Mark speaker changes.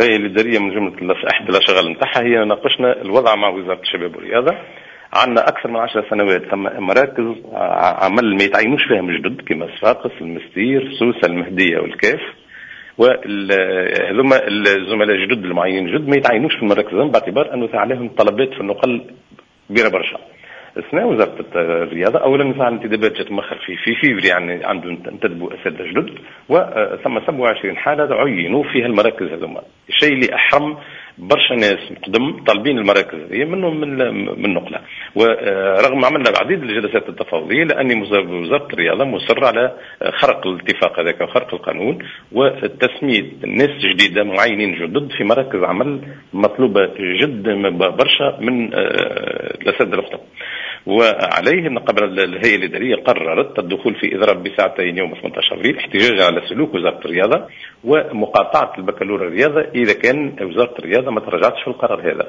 Speaker 1: الهيئة الادارية من جملة احد الاشغال نتاعها هي ناقشنا الوضع مع وزارة الشباب والرياضة. عندنا اكثر من 10 سنوات ثم مراكز عمل ما يتعينوش فيها جدد كما صفاقس، المستير، سوسة، المهدية والكاف. وهذوما الزملاء الجدد المعينين جدد ما يتعينوش في المراكز باعتبار انه عليهم طلبات في النقل كبيرة برشا. السنة وزارة الرياضة اولا نسعى الانتدابات جات مؤخر في فيفري، يعني عنده انتدبوا اساتذة جدد، وثم 27 حاله عينوا فيها المراكز هذوما، الشيء اللي احرم برشا ناس قدم طالبين المراكز هذه منهم من النقلة. ورغم عملنا العديد الجلسات التفاوضيه، لان وزارة الرياضة مصرة على خرق الاتفاق هذاك وخرق القانون وتسميه ناس جديدة معينين جدد في مراكز عمل مطلوبه جدا برشا من الاساتذة الاخرى. وعليه قبل الهيئة الادارية قررت الدخول في اضراب بساعتين يوم 18 ابريل احتجاجا على سلوك وزارة الرياضة ومقاطعه البكالوريا الرياضة اذا كان وزارة الرياضة ما تراجعتش في القرار هذا.